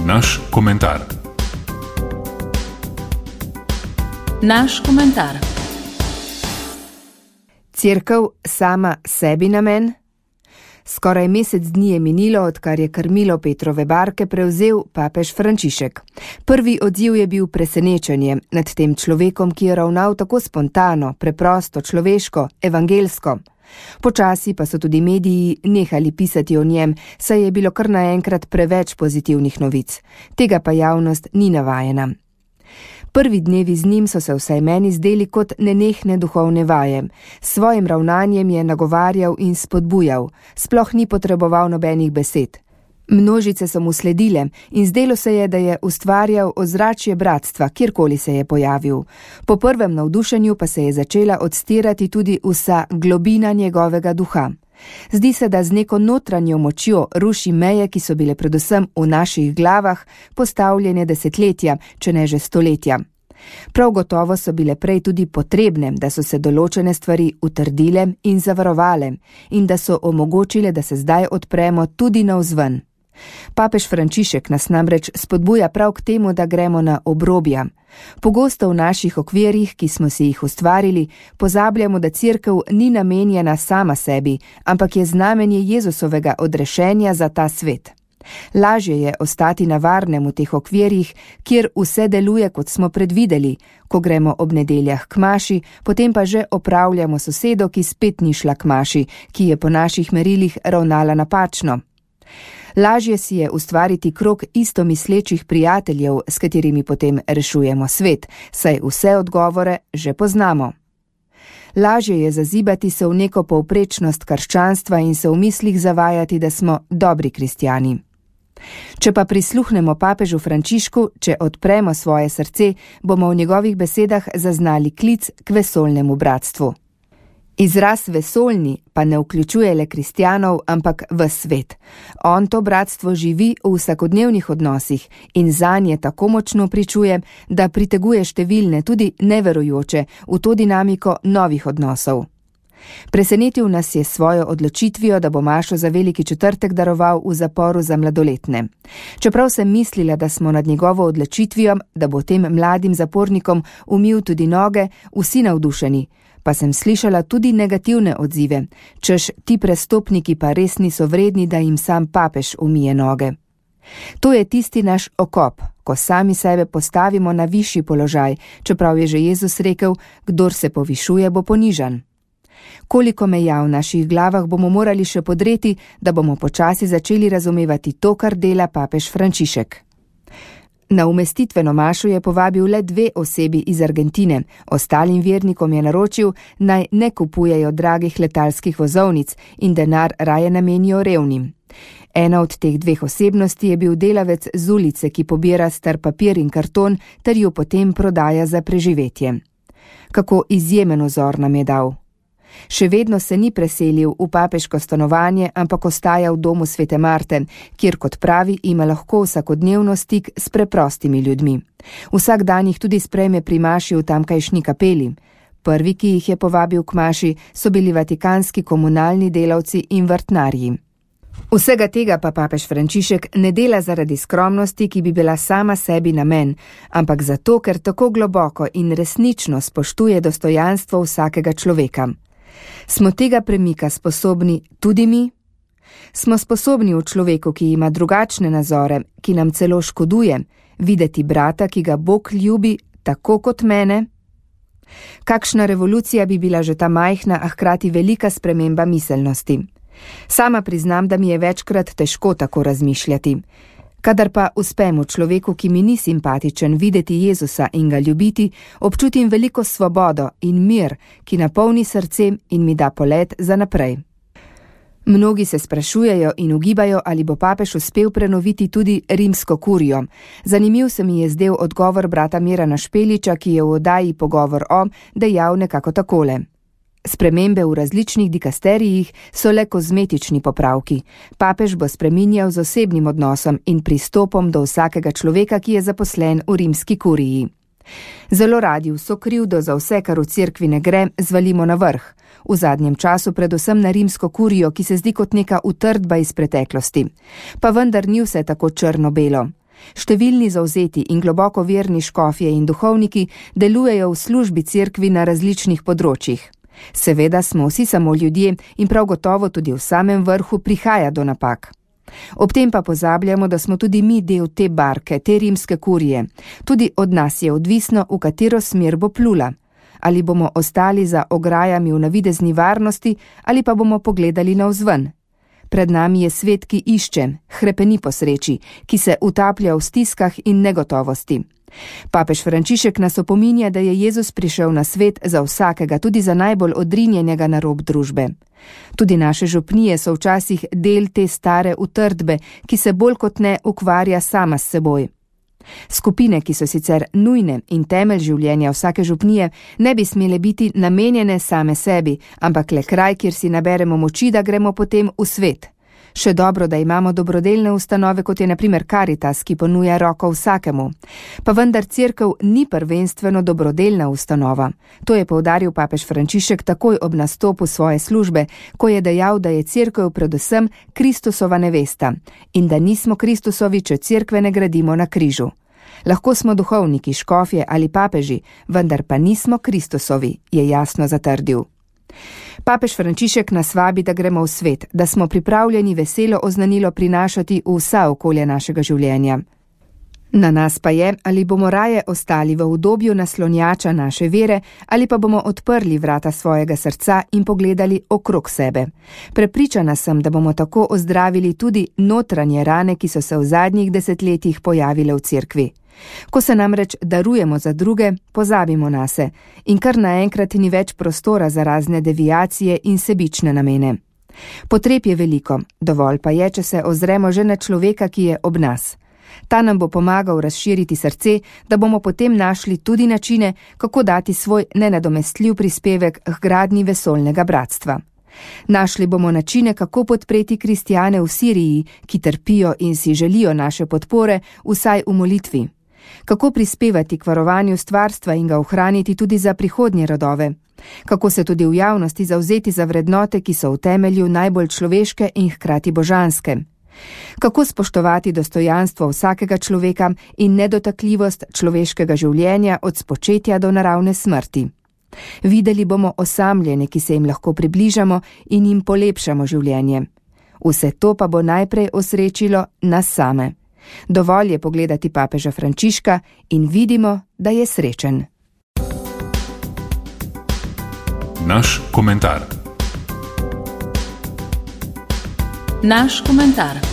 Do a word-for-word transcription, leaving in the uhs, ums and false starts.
Naš komentar. Naš komentar. Cerkev sama sebi namen? Skoraj mesec dni je minilo, odkar je krmilo Petrove barke prevzel papež Frančišek. Prvi odziv je bil presenečenje nad tem človekom, ki je ravnal tako spontano, preprosto, človeško, evangelsko. Počasi pa so tudi mediji nehali pisati o njem, saj je bilo kar naenkrat preveč pozitivnih novic. Tega pa javnost ni navajena. Prvi dnevi z njim so se vsaj meni zdeli kot nenehne duhovne vaje. S svojim ravnanjem je nagovarjal in spodbujal, sploh ni potreboval nobenih besed. Množice so mu sledile in zdelo se je, da je ustvarjal ozračje bratstva, kjerkoli se je pojavil. Po prvem navdušenju pa se je začela odstirati tudi vsa globina njegovega duha. Zdi se, da z neko notranjo močjo ruši meje, ki so bile predvsem v naših glavah postavljene desetletja, če ne že stoletja. Prav gotovo so bile prej tudi potrebne, da so se določene stvari utrdile in zavarovale in da so omogočile, da se zdaj odpremo tudi navzven. Papež Frančišek nas namreč spodbuja prav k temu, da gremo na obrobja. Pogosto v naših okvirih, ki smo si jih ustvarili, pozabljamo, da cerkev ni namenjena sama sebi, ampak je znamenje Jezusovega odrešenja za ta svet. Lažje je ostati na varnem v teh okvirih, kjer vse deluje, kot smo predvideli, ko gremo ob nedeljah k maši, potem pa že opravljamo sosedo, ki spet ni šla k maši, ki je po naših merilih ravnala napačno. Lažje si je ustvariti krog istomislečih prijateljev, s katerimi potem rešujemo svet, saj vse odgovore že poznamo. Lažje je zazibati se v neko povprečnost krščanstva in se v mislih zavajati, da smo dobri kristjani. Če pa prisluhnemo papežu Frančišku, če odpremo svoje srce, bomo v njegovih besedah zaznali klic k vesoljnemu bratstvu. Izraz vesoljni pa ne vključuje le kristjanov, ampak ves svet. On to bratstvo živi v vsakodnevnih odnosih in zanje tako močno pričuje, da priteguje številne, tudi neverujoče, v to dinamiko novih odnosov. Presenetil nas je svojo odločitvijo, da bo mašo za veliki četrtek daroval v zaporu za mladoletne. Čeprav sem mislila, da smo nad njegovo odločitvijo, da bo tem mladim zapornikom umil tudi noge, vsi navdušeni, pa sem slišala tudi negativne odzive, češ ti prestopniki pa res niso vredni, da jim sam papež umije noge. To je tisti naš okop, ko sami sebe postavimo na višji položaj, čeprav je že Jezus rekel, kdor se povišuje, bo ponižan. Koliko meja v naših glavah bomo morali še podreti, da bomo počasi začeli razumevati to, kar dela papež Frančišek. Na umestitveno mašo je povabil le dve osebi iz Argentine, ostalim vernikom je naročil, naj ne kupujejo dragih letalskih vozovnic in denar raje namenijo revnim. Ena od teh dveh osebnosti je bil delavec z ulice, ki pobira star papir in karton ter jo potem prodaja za preživetje. Kako izjemen vzor nam je dal. Še vedno se ni preselil v papeško stanovanje, ampak ostaja v domu Svete Marte, kjer, kot pravi, ima lahko vsakodnevno stik s preprostimi ljudmi. Vsak dan jih tudi sprejme pri maši v tamkajšnji kapeli. Prvi, ki jih je povabil k maši, so bili vatikanski komunalni delavci in vrtnarji. Vsega tega pa papež Frančišek ne dela zaradi skromnosti, ki bi bila sama sebi namen, ampak zato, ker tako globoko in resnično spoštuje dostojanstvo vsakega človeka. Smo tega premika sposobni tudi mi? Smo sposobni v človeku, ki ima drugačne nazore, ki nam celo škoduje, videti brata, ki ga Bog ljubi, tako kot mene? Kakšna revolucija bi bila že ta majhna, a hkrati velika sprememba miselnosti. Sama priznam, da mi je večkrat težko tako razmišljati. Kadar pa uspem v človeku, ki mi ni simpatičen, videti Jezusa in ga ljubiti, občutim veliko svobodo in mir, ki napolni srce in mi da polet za naprej. Mnogi se sprašujejo in ugibajo, ali bo papež uspel prenoviti tudi rimsko kurijo. Zanimiv se mi je zdel odgovor brata Mirana Špeliča, ki je v oddaji Pogovor o dejal nekako takole. Spremembe v različnih dikasterijih so le kozmetični popravki. Papež bo spreminjal z osebnim odnosom in pristopom do vsakega človeka, ki je zaposlen v rimski kuriji. Zelo radi vso krivdo za vse, kar v cerkvi ne gre, zvalimo na vrh. V zadnjem času predvsem na rimsko kurijo, ki se zdi kot neka utrdba iz preteklosti. Pa vendar ni vse tako črno-belo. Številni zavzeti in globoko verni škofje in duhovniki delujejo v službi cerkvi na različnih področjih. Seveda smo vsi samo ljudje in prav gotovo tudi v samem vrhu prihaja do napak. Ob tem pa pozabljamo, da smo tudi mi del te barke, te rimske kurije. Tudi od nas je odvisno, v katero smer bo plula. Ali bomo ostali za ograjami v navidezni varnosti, ali pa bomo pogledali navzven. Pred nami je svet, ki išče, hrepeni po sreči, ki se utaplja v stiskah in negotovosti. Papež Frančišek nas opominja, da je Jezus prišel na svet za vsakega, tudi za najbolj odrinjenega na rob družbe. Tudi naše župnije so včasih del te stare utrdbe, ki se bolj kot ne ukvarja sama s seboj. Skupine, ki so sicer nujne in temelj življenja vsake župnije, ne bi smele biti namenjene same sebi, ampak le kraj, kjer si naberemo moči, da gremo potem v svet. Še dobro, da imamo dobrodelne ustanove, kot je na primer Karitas, ki ponuja roko vsakemu. Pa vendar cerkev ni prvenstveno dobrodelna ustanova. To je poudaril papež Frančišek takoj ob nastopu svoje službe, ko je dejal, da je cerkev predvsem Kristusova nevesta in da nismo Kristusovi, če cerkve ne gradimo na križu. Lahko smo duhovniki, škofje ali papeži, vendar pa nismo Kristusovi, je jasno zatrdil. Papež Frančišek nas vabi, da gremo v svet, da smo pripravljeni veselo oznanilo prinašati v vsa okolja našega življenja. Na nas pa je, ali bomo raje ostali v udobju naslonjača naše vere, ali pa bomo odprli vrata svojega srca in pogledali okrog sebe. Prepričana sem, da bomo tako ozdravili tudi notranje rane, ki so se v zadnjih desetletjih pojavile v cerkvi. Ko se namreč darujemo za druge, pozabimo nase in kar naenkrat ni več prostora za razne deviacije in sebične namene. Potreb je veliko, dovolj pa je, če se ozremo že na človeka, ki je ob nas. Ta nam bo pomagal razširiti srce, da bomo potem našli tudi načine, kako dati svoj nenadomestljiv prispevek k gradnji vesoljnega bratstva. Našli bomo načine, kako podpreti kristjane v Siriji, ki trpijo in si želijo naše podpore, vsaj v molitvi. Kako prispevati k varovanju stvarstva in ga ohraniti tudi za prihodnje rodove. Kako se tudi v javnosti zavzeti za vrednote, ki so v temelju najbolj človeške in hkrati božanske. Kako spoštovati dostojanstvo vsakega človeka in nedotakljivost človeškega življenja od spočetja do naravne smrti. Videli bomo osamljene, ki se jim lahko približamo in jim polepšamo življenje. Vse to pa bo najprej osrečilo nas same. Dovolj je pogledati papeža Frančiška in vidimo, da je srečen. Naš komentar. Naš komentar.